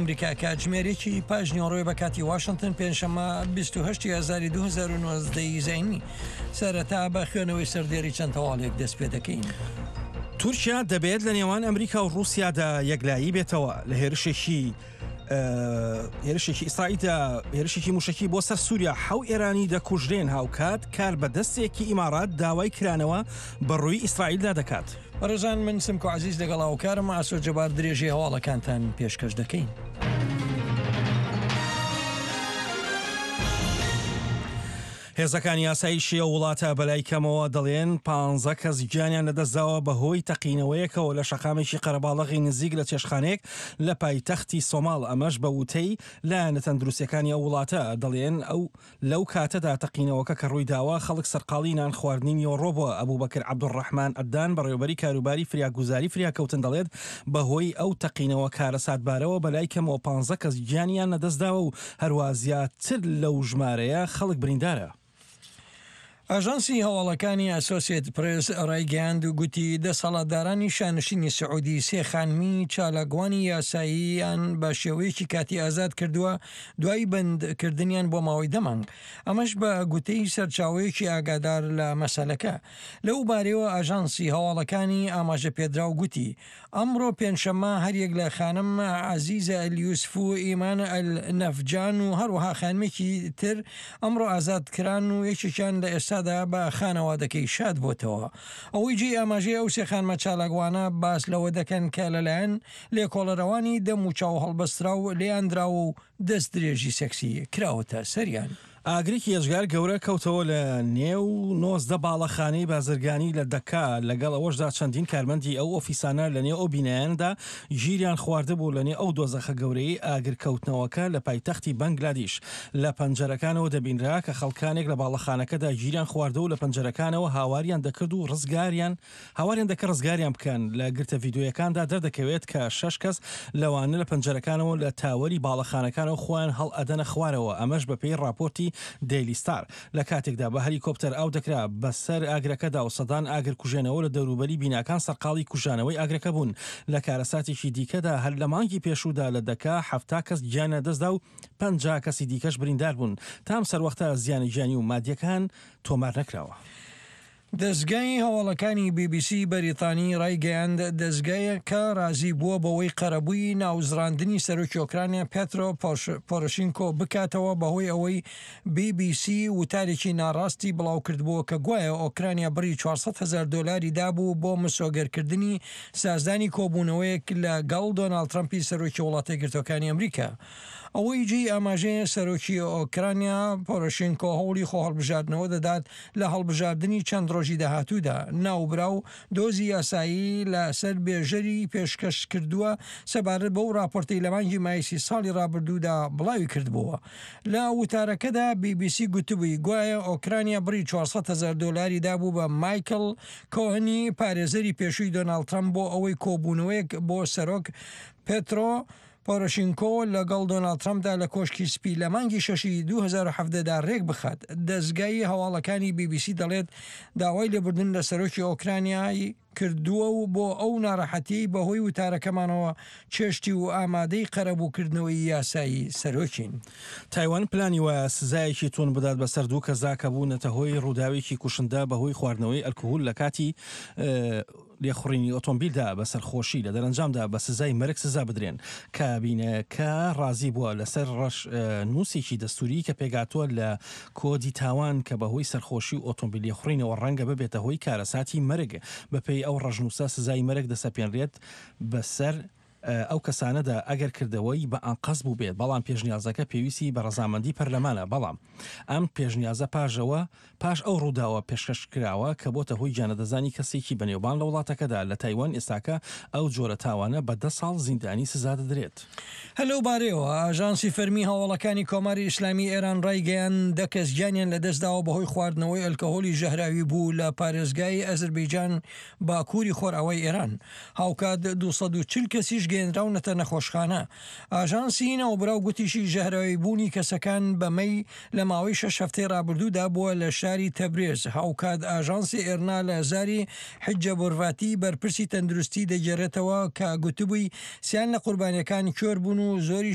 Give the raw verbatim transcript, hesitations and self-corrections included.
ئەمریکا کاتژمێر یەکی پاش نیوەڕۆی بە کاتی واشنتن پێنجشەممە بیست و هەشت ی ئازاری دوو هەزار و نۆزدە ی زایینی. سەرەتا بە خوێنەوەی سەردێڕی چەند هەواڵێک دەست پێ دەکەین. تورکیا دەبێت لە نێوان ئەمریکا و ڕووسیادا یەکلایی بێتەوە لە هێرشێکی هێرشێکی ئیسرائیلدا هێرشێکی موشکی بۆ سەر سووریا حەو ئێرانی دەکوژرێن هاوکات کار بە دەستێکی ئیمارات داوای کرانەوە بە ڕووی ئیسرائیلدا دەکات. بەڕێزان من سمکۆ عەزیز لەگەڵ هاوکارم ئاسۆ جەبار درێژەی هەواڵەکانتان پێشکەش دەکەین. هێزەکانی ئاسایشی ئەو وڵاتە بەلای کەمەوە دەڵێن پانزە کەس گیانیان لەدەستداوە بەهۆی تەقینەوەیەکەوە لە شەقامێکی قەرەباڵغی نزیک لە چێشتخانەیەک لە پایتەختی سۆماڵ، ئەمەش بە وتەی لایەنە تەندروستیەکانی ئەو وڵاتە دەڵێن ئەو لەو کاتەدا تەقینەوەکە کە ڕوویداوە خەڵک سەرقاڵی نان خواردنی نیوەڕۆ بووە. ئەبوبەکر عەبدولڕەحمان ئەدان بەڕێوەبەری کاروباری فریاگوزاری فریاکەوتن دەڵێت بەهۆی ئەو تەقینەوە کارەساتبارەوە بەلای کەمەوە پانزە کەس گیانیان لەدەستداوە و هەروا زیاتر لەو ژمارەیە خەڵک بریندارە. ئاژانسی هەواڵەکانی ئەسۆسیەت پرێس ڕایگەیاند و گوتی دەسەڵاتدارانی شانشینی سعودی سێ خانمی چالاکوانی یاساییان بە شێوەیەکی کاتی ئازاد کردووە دوای بەندکردنیان بۆ ماوەی دە مانگ، ئەمەش بە گوتەی سەرچاوەیەکی ئاگادار لە مەسەلەکە. لەو بارەیەوە ئاژانسی هەواڵەکانی ئاماژەپێدراو گوتی ئەمڕۆ پێنجشەممە هەریەک لە خانم عەزیزە ئەلیوسف و ئیمان ئەلنەفجان و هەروەها خانمێکی تر ئەمڕۆ ئازاد کران و یەکێکیان لە ئێستادا بە خانەوادەکەی شاد بۆتەوە. ئەوەی جێی ئاماژەیە ئەو سێ خانمە چالاکوانە باس لەوە دەکەن کە لەلایەن لێکۆڵەرەوانی دەم و چاو هەڵبەستراو لێیان دراوە و دەست درێژی سێکسی کراوەتە سەریان. ئاگرێکی ئێجگار گەورە کەوتەوە لە نێو نۆزدە باڵەخانەی بازرگانی لە دەکا، لەگەڵ ئەوەشدا چەندین کارمەندی ئەو ئۆفیسانە لە نێو ئەو بینایانەدا گیریان خواردبوو لە نێو ئەو دۆزەخە گەورەیەی ئاگرکەوتنەوەکە لە پایتەختی بەنگلادیش لە پەنجەرەکانەوە دەبینرا کە خەڵکانێک لە باڵەخانەکەدا گیریان خواردوە و لە پەنجەرەکانەوە هاواریان دەکرد و ڕزگاریان هاواریان دەکرد ڕزگاریان بکەن، لە گرتە ڤیدیۆیەکاندا دەردەکەوێت کە شەش کەس لەوانە لە پەنجەرەکانەوە لە تاوەری باڵەخانەکانەوە خۆیان هەڵئەدەنە خوارەوە، ئەمەش بەپێی ڕاپۆرتی دەیلی ستار. لە کاتێکدا بە هەلیکۆپتەر ئاو دەکرا بەسەر ئاگرەکەدا و سەدان ئاگرکوژێنەوە لە دەوروبەری بیناکان سەرقاڵی کوژانەوەی ئاگرەکە بوون. لە کارەساتێکی دیکەدا هەر لە مانگی پێشوودا لە دەکا حەفتا کەس گیانیان لەدەستدا و پەنجا کەسی دیکەش بریندار بوون. تا ئەم سەروەختە زیانە گیانی و مادییەکان تۆمار نەکراوە. دەزگای هەواڵەکانی بی بی سی بەریتانی ڕایگەیاند، دەزگایەکە ڕازی بووە بەوەی قەرەبووی ناوزڕاندنی سەرۆکی ئۆکرانیا پێترۆ پۆرۆشینکۆ بکاتەوە بەهۆی ئەوەی بی بی سی وتارێکی ناڕاستی بڵاوکردبووە کە گوایە ئۆکرانیا بڕی چوار سەد هەزار دۆلاری دابوو بۆ مسۆگەرکردنی سازدانی کۆبوونەوەیەک لە گەڵ دۆناڵد ترەمپی سەرۆکی وڵاتەیەکگرتووەکانی ئەمریکا. ئەوەی جێی ئاماژەیە سەرۆکی ئۆکرانیا پۆرۆشینکۆ هەوڵی خۆهەڵبژاردنەوە دەدات لە هەڵبژاردنی چەند ڕۆژی داهاتوودا، ناوبراو دۆزی یاسایی لە سەر بێژەری پێشکەش کردووە سەبارەت بەو ڕاپۆرتەی لە مانگی مایسی ساڵی ڕابردوودا بڵاوی کردبووە. لە وتارەکەدا بی بی سی گوتبووی گوایە ئۆکرانیا بڕی چوار سەد هەزار دۆلاری دابوو بە مایکڵ کۆهنی پارێزەری پێشووی دۆناڵد ترەمپ بۆ ئەوەی کۆبوونەوەیەک بۆ سەرۆک پێترۆ پۆرۆشینکۆ لەگەڵ دۆناڵد ترەمپدا لە کۆشکی سپی لە مانگی شەشی دوو هەزار و حەڤدە دا رێکبخات. دەزگای هەواڵەکانی بی بی سی دەڵێت، داوای لێبوردن لە سەرۆکی ئۆکرانیای کردووە و بۆ ئەو ناڕەحەتیەی بەهۆی وتارەکەمانەوە چێشتی و ئامادەی قەرەبووکردنەوەی یاسایی سەرۆکین. تایوان پلانی وایە سزایەکی توند بدات بەسەر دوو کەسدا کە بوونەتە هۆی ڕووداوێکی کوشندە بەهۆی خواردنەوەی ئەلکهول لە کاتی لێخوڕینی ئۆتۆمبیلدا بە سەرخۆشی لە دەرەنجامدا بە سزای مەرگ سزا بدرێن. کابینەکە ڕازی بووە لەسەر ڕەش نووسێکی دەستووری کە پێکهاتووە لە کۆدی تاوان کە بەهۆی سەرخۆشی و ئۆتۆمبیل لێخوڕینەوە ڕەنگە ببێتە هۆی کارەساتی مەرگ. بەپێی ئەو ڕەشنووسە سزای مەرگ دەسەپێنرێت بەسەر ئەو کەسانەدا ئەگەر کردەوەی بە ئەنقەست بووبێت، بەڵام پێشنیازەکە پێویستی بە ڕەزامەندی پەرلەمانە، بەڵام ئەم پێشنیازە پاژەوە پاش ئەو ڕووداوە پێشکەش کراوە کە بۆتە هۆی گیانلەدەستدانی کەسێکی بەنێوبانگ لە وڵاتەکەدا، لە تایوان ئێستاکە ئەو جۆرە تاوانە بە دە ساڵ زیندانی سزا دەدرێت. هەر لەو بارەیەوە ئاژانسی فەرمی هەواڵەکانی کۆماری ئیسلامی ئێران ڕایگەیاند، دە کەس گیانیان لەدەستداوە بەهۆی خواردنەوەی ئەلکەهۆلی ژەهراوی بوو لە پارێزگای ئەزربەیجان باکووری خۆرئاوای ئێران، هاوکات دوو سەد و چل کەسیش گەیەنراونەتە نەخۆشخانە. ئاژانسی ناوبراو گوتیشی ژەهراویبوونی کەسەکان بە مەی لە ماوەی شەش هەفتەی رابردوودا بووە لە شاری تەبرێز. هاوکات ئاژانسی ئێرنا لە زاری حجە بۆرڤاتی بەرپرسی تەندروستی دەگێڕێتەوە کە گوتبووی سیان لە قوربانیەکان کوێر بوون و زۆریش